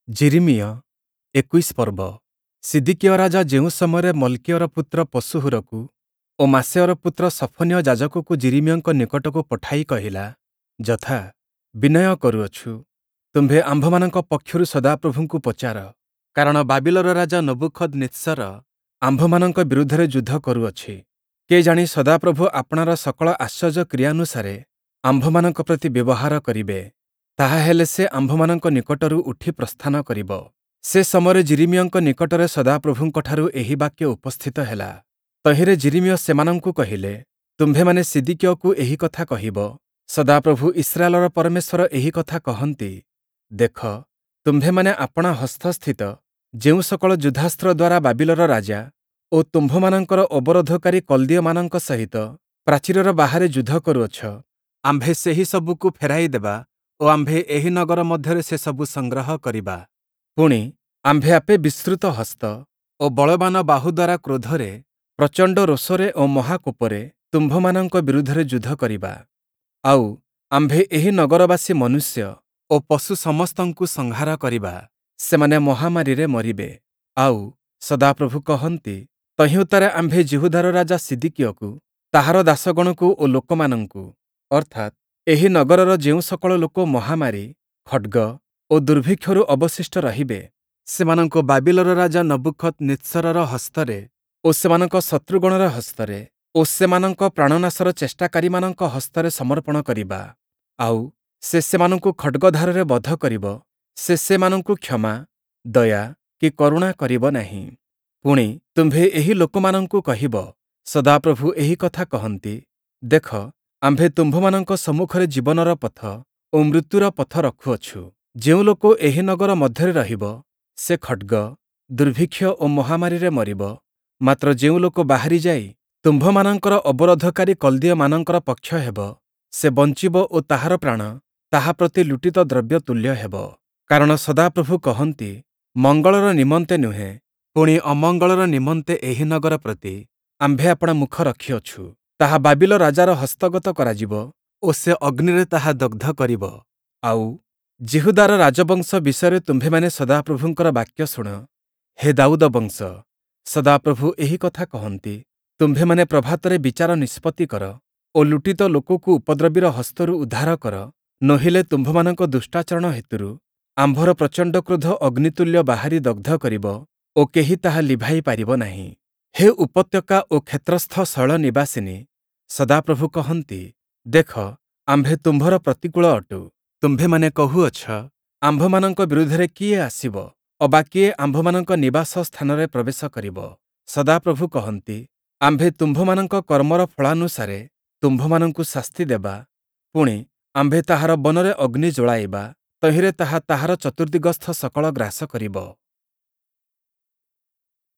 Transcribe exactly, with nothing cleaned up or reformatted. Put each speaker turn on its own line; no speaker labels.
ଯିରିମିୟ ଏକୋଇଶ ପର୍ବ ସିଦିକିୟ ରାଜା ଯେଉଁ ସମୟରେ ମଲ୍‌କିୟର ପୁତ୍ର ପଶହୂରକୁ ଓ ମାସେୟର ପୁତ୍ର ସଫନୀୟ ଯାଜକକୁ ଯିରିମିୟଙ୍କ ନିକଟକୁ ପଠାଇ କହିଲା, ଯଥା, ବିନୟ କରୁଅଛୁ, ତୁମ୍ଭେ ଆମ୍ଭମାନଙ୍କ ପକ୍ଷରୁ ସଦାପ୍ରଭୁଙ୍କୁ ପଚାର, କାରଣ ବାବିଲର ରାଜା ନବୂଖଦନିତ୍ସର ଆମ୍ଭମାନଙ୍କ ବିରୁଦ୍ଧରେ ଯୁଦ୍ଧ କରୁଅଛି। କେଜାଣି ସଦାପ୍ରଭୁ ଆପଣାର ସକଳ ଆଶ୍ଚର୍ଯ୍ୟ କ୍ରିୟାନୁସାରେ ଆମ୍ଭମାନଙ୍କ ପ୍ରତି ବ୍ୟବହାର କରିବେ, ତାହାହେଲେ ସେ ଆମ୍ଭମାନଙ୍କ ନିକଟରୁ ଉଠି ପ୍ରସ୍ଥାନ କରିବ। ସେ ସମୟରେ ଯିରିମିୟଙ୍କ ନିକଟରେ ସଦାପ୍ରଭୁଙ୍କଠାରୁ ଏହି ବାକ୍ୟ ଉପସ୍ଥିତ ହେଲା। ତହିଁରେ ଯିରିମିୟ ସେମାନଙ୍କୁ କହିଲେ, ତୁମ୍ଭେମାନେ ସିଦିକିୟକୁ ଏହି କଥା କହିବ, ସଦାପ୍ରଭୁ ଇସ୍ରାଏଲର ପରମେଶ୍ୱର ଏହି କଥା କହନ୍ତି, ଦେଖ, ତୁମ୍ଭେମାନେ ଆପଣା ହସ୍ତସ୍ଥିତ ଯେଉଁ ସକଳ ଯୁଦ୍ଧାସ୍ତ୍ର ଦ୍ୱାରା ବାବିଲର ରାଜା ଓ ତୁମ୍ଭମାନଙ୍କର ଅବରୋଧକାରୀ କଲ୍ଦୀୟମାନଙ୍କ ସହିତ ପ୍ରାଚୀରର ବାହାରେ ଯୁଦ୍ଧ କରୁଅଛ, ଆମ୍ଭେ ସେହି ସବୁକୁ ଫେରାଇ ଦେବା ଓ ଆମ୍ଭେ ଏହି ନଗର ମଧ୍ୟରେ ସେସବୁ ସଂଗ୍ରହ କରିବା। ପୁଣି, ଆମ୍ଭେ ଆପେ ବିସ୍ତୃତ ହସ୍ତ ଓ ବଳବାନ ବାହୁ ଦ୍ୱାରା କ୍ରୋଧରେ, ପ୍ରଚଣ୍ଡ ରୋଷରେ ଓ ମହାକୋପରେ ତୁମ୍ଭମାନଙ୍କ ବିରୁଦ୍ଧରେ ଯୁଦ୍ଧ କରିବା। ଆଉ, ଆମ୍ଭେ ଏହି ନଗରବାସୀ ମନୁଷ୍ୟ ଓ ପଶୁ ସମସ୍ତଙ୍କୁ ସଂହାର କରିବା, ସେମାନେ ମହାମାରୀରେ ମରିବେ। ଆଉ, ସଦାପ୍ରଭୁ କହନ୍ତି, ତହିଁ ଉତ୍ତାରେ ଆମ୍ଭେ ଯିହୁଦାର ରାଜା ସିଦିକିୟକୁ, ତାହାର ଦାସଗଣକୁ ଓ ଲୋକମାନଙ୍କୁ, ଅର୍ଥାତ୍ ଏହି ନଗରର ଯେଉଁ ସକଳ ଲୋକ ମହାମାରୀ, ଖଡ଼୍ଗ ଓ ଦୁର୍ଭିକ୍ଷରୁ ଅବଶିଷ୍ଟ ରହିବେ, ସେମାନଙ୍କୁ ବାବିଲର ରାଜା ନବୂଖଦନିତ୍ସରର ହସ୍ତରେ ଓ ସେମାନଙ୍କ ଶତ୍ରୁଗଣର ହସ୍ତରେ ଓ ସେମାନଙ୍କ ପ୍ରାଣନାଶର ଚେଷ୍ଟାକାରୀମାନଙ୍କ ହସ୍ତରେ ସମର୍ପଣ କରିବା। ଆଉ, ସେ ସେମାନଙ୍କୁ ଖଡ଼୍ଗଧାରରେ ବଧ କରିବ, ସେ ସେମାନଙ୍କୁ କ୍ଷମା, ଦୟା କି କରୁଣା କରିବ ନାହିଁ। ପୁଣି, ତୁମ୍ଭେ ଏହି ଲୋକମାନଙ୍କୁ କହିବ, ସଦାପ୍ରଭୁ ଏହି କଥା କହନ୍ତି, ଦେଖ, ଆମ୍ଭେ ତୁମ୍ଭମାନଙ୍କ ସମ୍ମୁଖରେ ଜୀବନର ପଥ ଓ ମୃତ୍ୟୁର ପଥ ରଖୁଅଛୁ। ଯେଉଁ ଲୋକ ଏହି ନଗର ମଧ୍ୟରେ ରହିବ, ସେ ଖଡ଼୍ଗ, ଦୁର୍ଭିକ୍ଷ ଓ ମହାମାରୀରେ ମରିବ। ମାତ୍ର ଯେଉଁ ଲୋକ ବାହାରି ଯାଇ ତୁମ୍ଭମାନଙ୍କର ଅବରୋଧକାରୀ କଲ୍ଦୀୟମାନଙ୍କର ପକ୍ଷ ହେବ, ସେ ବଞ୍ଚିବ ଓ ତାହାର ପ୍ରାଣ ତାହା ପ୍ରତି ଲୁଟିତ ଦ୍ରବ୍ୟ ତୁଲ୍ୟ ହେବ। କାରଣ ସଦାପ୍ରଭୁ କହନ୍ତି, ମଙ୍ଗଳର ନିମନ୍ତେ ନୁହେଁ, ପୁଣି ଅମଙ୍ଗଳର ନିମନ୍ତେ ଏହି ନଗର ପ୍ରତି ଆମ୍ଭେ ଆପଣା ମୁଖ ରଖିଅଛୁ। ତାହା ବାବିଲ ରାଜାର ହସ୍ତଗତ କରାଯିବ ଓ ସେ ଅଗ୍ନିରେ ତାହା ଦଗ୍ଧ କରିବ। ଆଉ, ଯିହୁଦାର ରାଜବଂଶ ବିଷୟରେ ତୁମ୍ଭେମାନେ ସଦାପ୍ରଭୁଙ୍କର ବାକ୍ୟ ଶୁଣ। ହେ ଦାଉଦ ବଂଶ, ସଦାପ୍ରଭୁ ଏହି କଥା କହନ୍ତି, ତୁମ୍ଭେମାନେ ପ୍ରଭାତରେ ବିଚାର ନିଷ୍ପତ୍ତି କର ଓ ଲୁଟିତ ଲୋକକୁ ଉପଦ୍ରବୀର ହସ୍ତରୁ ଉଦ୍ଧାର କର, ନୋହିଲେ ତୁମ୍ଭମାନଙ୍କ ଦୁଷ୍ଟାଚରଣ ହେତୁରୁ ଆମ୍ଭର ପ୍ରଚଣ୍ଡ କ୍ରୋଧ ଅଗ୍ନିତୁଲ୍ୟ ବାହାରି ଦଗ୍ଧ କରିବ ଓ କେହି ତାହା ଲିଭାଇ ପାରିବ ନାହିଁ। ହେ ଉପତ୍ୟକା ଓ କ୍ଷେତ୍ରସ୍ଥ ଶୈଳ ନିବାସିନୀ, ସଦାପ୍ରଭୁ କହନ୍ତି, ଦେଖ, ଆମ୍ଭେ ତୁମ୍ଭର ପ୍ରତିକୂଳ ଅଟୁ। ତୁମ୍ଭେମାନେ କହୁଅଛ, ଆମ୍ଭମାନଙ୍କ ବିରୁଦ୍ଧରେ କିଏ ଆସିବ? ଅବା କିଏ ଆମ୍ଭମାନଙ୍କ ନିବାସ ସ୍ଥାନରେ ପ୍ରବେଶ କରିବ? ସଦାପ୍ରଭୁ କହନ୍ତି, ଆମ୍ଭେ ତୁମ୍ଭମାନଙ୍କ କର୍ମର ଫଳାନୁସାରେ ତୁମ୍ଭମାନଙ୍କୁ ଶାସ୍ତି ଦେବା। ପୁଣି, ଆମ୍ଭେ ତାହାର ବନରେ ଅଗ୍ନି ଜ୍ଵଳାଇବା, ତହିଁରେ ତାହା ତାହାର ଚତୁର୍ଦ୍ଦିଗସ୍ଥ ସକଳ ଗ୍ରାସ କରିବ।